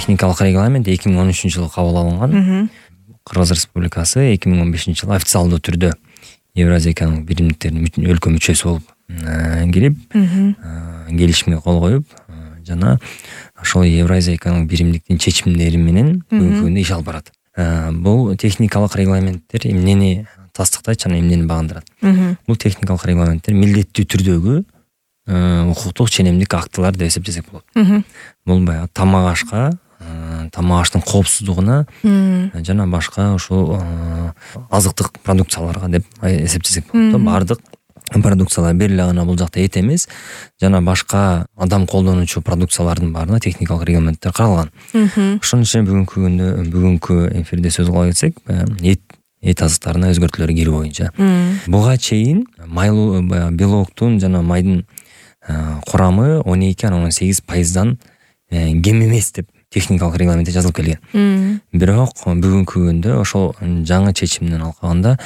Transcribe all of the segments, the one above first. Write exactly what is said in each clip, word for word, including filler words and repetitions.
техникалык регламент эки миң он үчүнчү жылы кабыл алынган. Кыргыз Республикасы эки миң он бешинчи жылы официалдуу түрдө Евразия экономикалык биримдиктеринин өлкө мүчөсү болуп кирип, келишимге кол коюп, жана ошол Евразия экономикалык биримдиктин чечимдери менен бүгүнкү күндө иш алып барат. Бул техникалык регламенттер эмнени тастыктайт жана эмнени багындырат? Бул техникалык регламенттер милдеттүү түрдөгү укуктук ченемдик актылар деп эсептесек болот. Бул баягы тамак ашка, тамак аштын коопсуздугуна жана башка ушул азыктык продукцияларга деп эсептесек болот. Бардык продукциялар бир эле гана бул жакта эт эмес, жана башка адам колдонуучу продукциялардын баарына техникалык регламенттер каралган. Ошонун ичинде бүгүнкү күндө бүгүнкү эфирде сөз кыла кетсек, эт эт азыктарына өзгөртүүлөр кирүү боюнча. Буга чейин майлуу белоктун жана майдын курамы он эки анан он сегиз пайыздан кем эмес деп техникалык регламентте жазылып келген. Бирок бүгүнкү күндө ошол жаңы чечимден алкаганда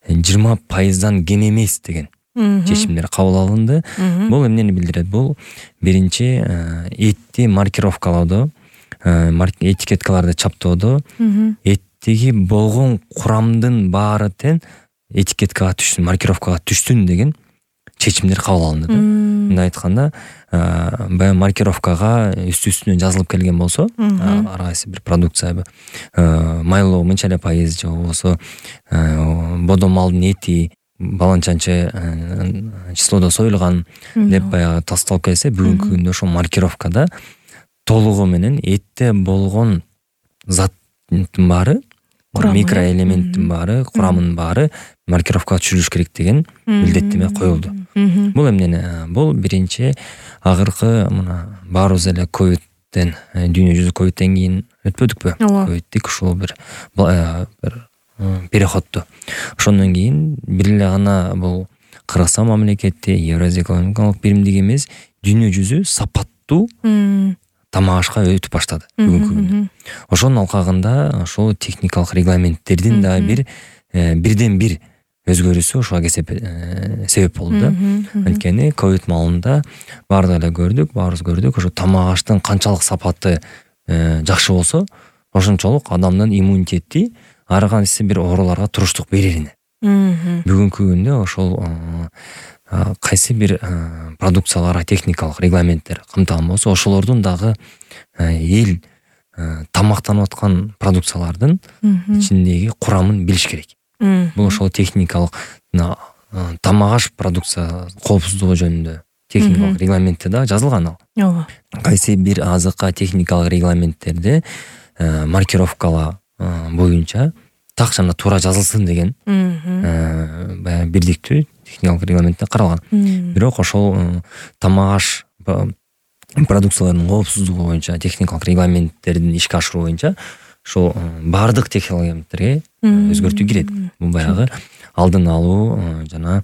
жыйырма пайыздан кем эмес деген чечимдер кабыл алынды. Бул эмнени билдирет? Бул биринчи этти маркировкалоодо, этикеткаларды чаптоодо эттеги болгон курамдын баары тең этикеткага түшсүн, маркировкага түшсүн деген чечимдер кабыл алынды. Мындай айтканда, баягы маркировкага үстү-үстүнө жазылып келген болсо, ар кайсы бир продукция майлоо мынча эле пайыз же болбосо бодо малдын эти баланчанчы числодо союлган деп баягы тасталып келсе, бүгүнкү күндө ошол маркировкада толугу менен этте болгон заттын баары, микроэлементтин баары, курамынын баары маркировкага түшүрүлүш керек деген милдеттеме коюлду. Бул эмнени? Бул биринчи акыркы мына баарыбыз эле ковидтен, дүйнө жүзү ковидтен кийин өтпөдүкпү? Ковидтик ушул бир бир переходду. Ошондон кийин бир эле гана бул Кыргызстан мамлекети, Евразия экономикалык биримдиги эмес, дүйнө жүзү сапаттуу тамак ашка өтүп баштады бүгүнкү күндө. Ошонун алкагында ошол техникалык регламенттердин да бир бирден бир өзгөрүүсү ошого себеп болду да. Анткени ковид маалында баардык эле көрдүк, баарыбыз көрдүк, ошо тамак аштын канчалык сапаты жакшы болсо, ошончолук адамдын иммунитети ар кайсы бир ооруларга туруштук берерине. Бүгүнкү күндө ошол кайсы бир продукцияларга техникалык регламенттер камтылган болсо, ошолордун дагы эл тамактанып аткан продукциялардын ичиндеги курамын билиш керек. Бул ошол техникалык тамак аш продукция коопсуздугу жөнүндө техникалык регламентте да жазылган ал. Кайсы бир азыкка техникалык регламенттерде маркировкала боюнча так жана туура жазылсын деген баягы бирдиктүү техникалык регламентте каралган. Бирок ошол тамак аш продукцияларынын коопсуздугу боюнча техникалык регламенттердин ишке ашыруу боюнча ошол баардык технологияларга өзгөртүү кирет. Бул баягы алдын алуу жана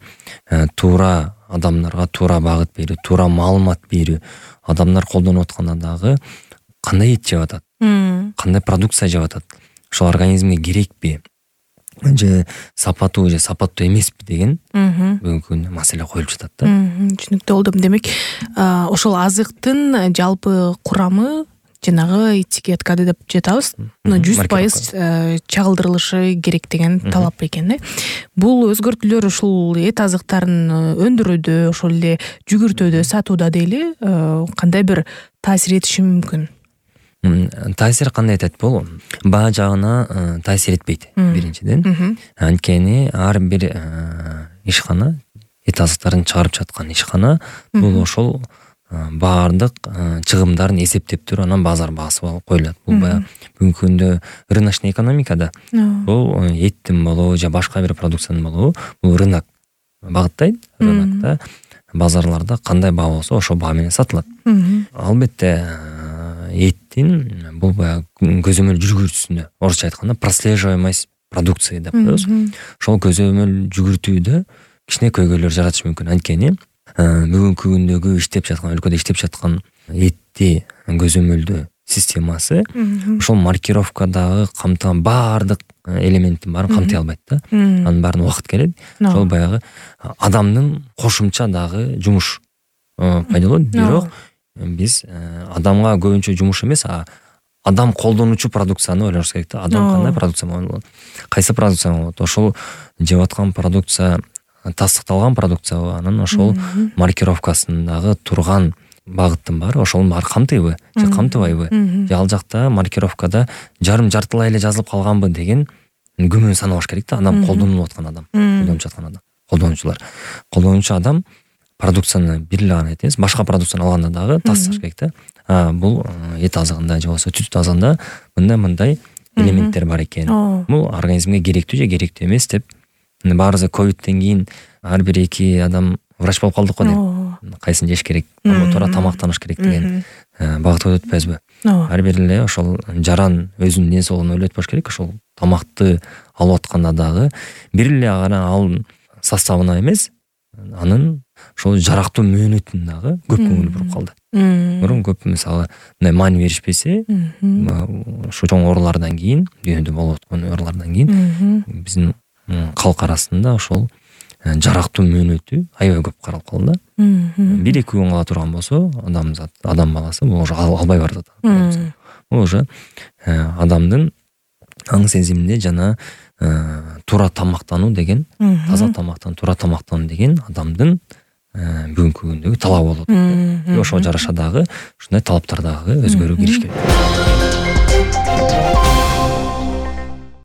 туура адамдарга туура багыт берүү, туура маалымат берүү, адамдар колдонуп атканда дагы кандай эт жеп атат, кандай продукция жеп атат, ошол организмге керекпи же сапаттуу же сапаттуу эмеспи деген бүгүнкү күндө маселе коюлуп жатат да. Түшүнүктүү болду. Демек, ошол азыктын жалпы курамы жанагы этикеткада деп жатабыз, жүз пайыз чагылдырылышы керек деген талап экен. Бул өзгөртүүлөр ушул эт азыктарын өндүрүүдө, ошол эле жүгүртүүдө, сатууда дейли, кандай бир таасир этиши мүмкүн? Таасир кандай этет? Бул баа жагына таасир этпейт биринчиден. Анткени ар бир ишкана, эт азыктарын чыгарып жаткан ишкана бул ошол баардык чыгымдарын эсептеп туруп анан базар баасы коюлат. Бул баягы бүгүнкү күндө рыночный экономикада бул эттин болобу же башка бир продукциянын болобу, бул рынок багыттайт. Рынокто базарларда кандай баа болсо ошол баа менен сатылат. Албетте эттин бул баягы көзөмөл жүгүртүүсүндө, орусча айтканда прослеживаемость продукции деп коебуз. Ошол көзөмөл жүгүртүүдө кичине көйгөйлөр жаратышы мүмкүн. Анткени бүгүнкү күндөгү иштеп жаткан, өлкөдө иштеп жаткан этти көзөмөлдөө системасы ошол маркировкадагы камтыган баардык элементтин баарын камтый албайт да. Анын баарын убакыт керек. Ошол баягы адамдын кошумча дагы жумуш пайда болот. Бирок биз адамга көбүнчө жумуш эмес, адам колдонуучу продукцияны ойлош керек да. Адам кандай продукция болот, кайсы продукция болот, ошол жеп аткан продукция тастыкталган продукциябы, анан ошол маркировкасындагы турган багыттын баары ошонун баары камтыйбы же камтыбайбы, же ал жакта маркировкада жарым жартылай эле жазылып калганбы деген күмөн санабаш керек да. Адам колдонуп аткан адам, колдонуп жаткан адам, колдонуучулар. Колдонуучу адам продукцияны бир эле гана эмес, башка продукцияны алганда дагы тасташ керек да. А бул эт азыгында же болбосо түз азыгында мындай-мындай элементтер бар экен. Бул организмге керектүү же керектүү эмес деп. Баарыбыз ковидтен кийин ар бир эки адам врач болуп калдык го дейм. Кайсын жеш керек, туура тамактаныш керек деген багытка өтпөйбүзбү? Ар бир эле ошол жаран өзүнүн ден соолугун ойлоп өтпөш керек. Ошол тамакты алып атканда дагы бир эле гана ал составына эмес, анын ошол жарактуу мөөнөтүн дагы көп көңүл буруп калды. Мурун көп мисалы мындай маани беришпесе, ушу чоң оорулардан кийин, дүйнөдө болуп аткан оорулардан кийин биздин калк арасында ошол жарактуу мөөнөтү аябай көп каралып калды да. бир эки күн кала турган болсо, адамзат, адам баласы бул уже албай барат. Бул уже адамдын аң сезиминде жана туура тамактануу деген, таза тамактануу, туура тамактануу деген адамдын бүгүнкү күндөгү талабы болот. Ошого жараша дагы ушундай талаптар дагы өзгөрүү кириш керек.